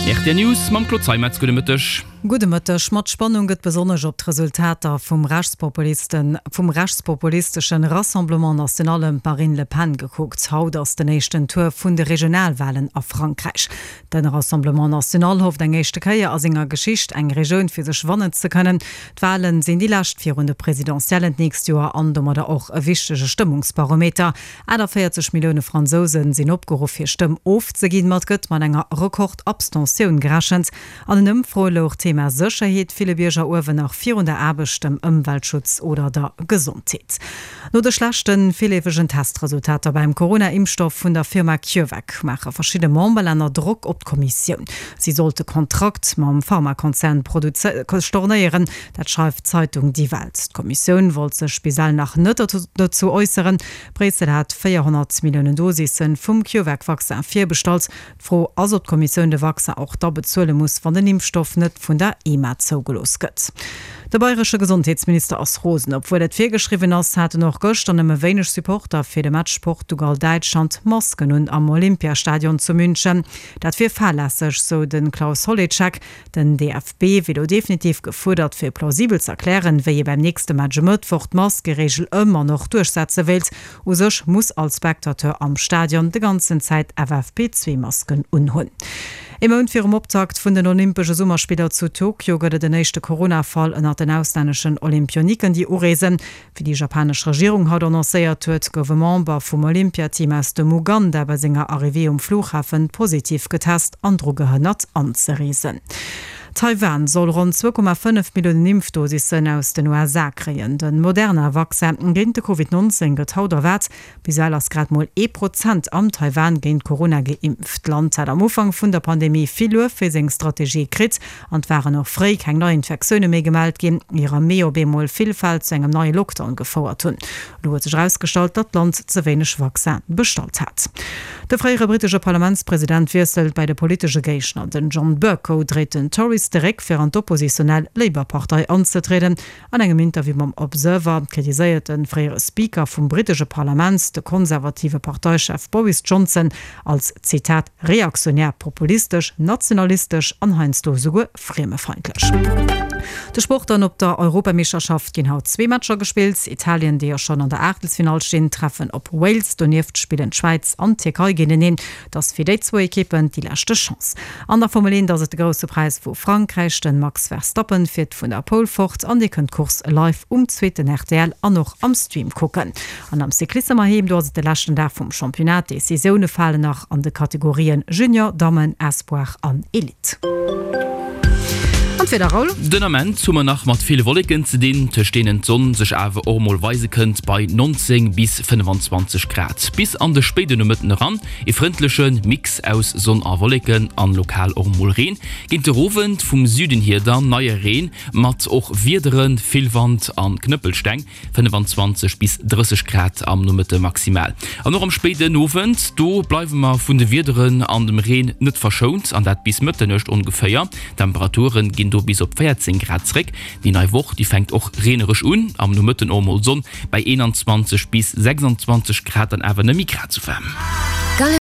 Rtl News mam Claude Zeimetz. Gudde Mëtteg. Gudde Mëtteg. Mat Spannung gëtt besonnesch op d'Resultater vum Rechtspopulisten, vum rechtspopulisteschen Rassemblement National ëm d'Marine Le Pen gekuckt. Haut ass den éischten Tour vun de Regionalwalen a Frankräich. Den Rassemblement National hofft eng éischte Kéier a senger Geschicht eng Regioun fir sech wannen ze kënnen. D'Walen sinn déi lescht virun de Presidentiellen d'nächst Joer an domadder och e wichtege Stëmmungsbarometer. 48 Millioune Fransouse sinn opgeruff hir Stëmm ofzeginn, ma et gëtt mat enger Rekord-Abstentioun gerechent. An den Ëmfroe louch d'Thema Sécherheet ville Bierger uewen, nach virun der Aarbecht, dem Ëmweltschutz oder der Gesondheet. No de schlechte virleefegen Testresultater beim Corona-Impfstoff vun der Firma CureVac maache verschidde Memberlänner Drock op d'Kommissioun. Si sollt de Kontrakt mam Pharmakonzern stornéieren. Dat schreift d'Zeitung Die Welt. D'Kommissioun wollt sech bis ell nach net dozou äusseren. Bréissel hat 400 Milliounen Dosisse vum CureVac-Vaccin virbestallt. D'Fro ass, ob d'Kommissioun de Vaccin och da bezuele muss, wann den Impfstoff net vun der EMA zougelooss gëtt. De bayresche Gesondheetsminister ass rosen. Obwuel et virgeschriwwen ass, haten och gëschter nëmme wéineg Supporter fir de Match Portugal-Däitschland Masken un am Olympiastadion zu München. Dat wier fahrlässeg, sou de Klaus Holicek. Den DFB wier elo definitiv gefuerdert, fir plausibel z'erklären, wéi ee beim nächste Match e Mëttwoch d'Maskereegel ëm an och duerchsetze wéilt. U sech muss all Spectateur am Stadion de ganzen Zäit FFP2-Masken unhunn. Ee Mount virum Optakt vun den Olympesche Summerspiller zu Tokio gëtt et en éischte Corona-Fall ënnert den auslänneschen Olympioniken, déi ureesen. Wéi déi japanesch Regierung haut annoncéiert huet, gouf e Member vum Olympiateam aus dem Uganda bei senger Arrivée um Flughafen positiv getest an dru gehënnert anzereesen. Taiwan soll ronn 2,5 Milliounen Impfdosissen aus den USA kréien. De Moderna-Vaccin géint de Covid 19 gëtt haut erwaart. Bis ewell ass grad mol ee Prozent am Taiwan géint Corona geimpft. D'Land hat am Ufank vun der Pandemie vill Luef fir seng Strategie kritt an et waren och fréi keng nei Infektioune méi gemellt ginn, ier am Mee op eemol vill Fäll zu engem neie Lockdown gefouert hunn. Elo huet sech erausgestallt, datt d'Land ze wéineg Vaccin bestallt hat. De fréiere brittesche Parlamentspresident wiesselt bei de politesche Géigner. Den John Bercow dréit den Tories de Réck, fir an d'oppositionell Labour-Partei anzetrieden. An engem Interview mam Observer kritiséiert de fréiere Speaker vum brittesche Parlament de konservative Parteichef Boris Johnson als, Zitat, reaktionär, populistesch, nationalistesch an heiansdo esouguer friemefeindlech. De Sport dann, Op der Europameeschterschaft ginn haut zwee Matcher gespillt. Italien, déi jo schonn an der Aachtelsfinall stinn, treffen op Wales. Donieft spillen d'Schwäiz an d'Tierkei géinteneen. Et ass fir déi zwou Ekippen déi leschte Chance. An der Formel 1 ass et de Grousse Präis vu Frankräich. De Max Verstappen fiert vun der Pole fort an Dir kënnt d'Course live um zweeten rtl an och am Stream kucken. An am Cyclissem heiheem, do ass et de leschten Dag vum Championnat. D'Decisioune falen nach an de Kategorien Junior, Dammen, Espoir an Elite. An d'Wieder, Raoul? Den Ament hu mer nach mat ville Wolleken ze dinn, tëscht deenen d'Sonn sech awer och mol weise kënnt bei 19 bis 25 Grad. Bis an de spéide Nomëtten eran e frëndleche Mix aus Sonn a Wolleken an lokal och mol Reen. Géint de Owend vum Süden hier dann neie Reen mat och Wiederen, vill Wand an Knëppelsteng. 25 bis 30 Grad am Nomëtte maximal. An och am spéiden Owend, do bleiwe mer vun de Wiederen an dem Reen net verschount, an dat bis Mëtternuecht ongeféier. D'Temperature ginn do bis op 14 Grad zréck. Déi nei Woch, déi fänkt och reenereg un, am Nomëtten och mol Sonn bei 21 bis 26 Grad, dann awer net méi grad sou waarm.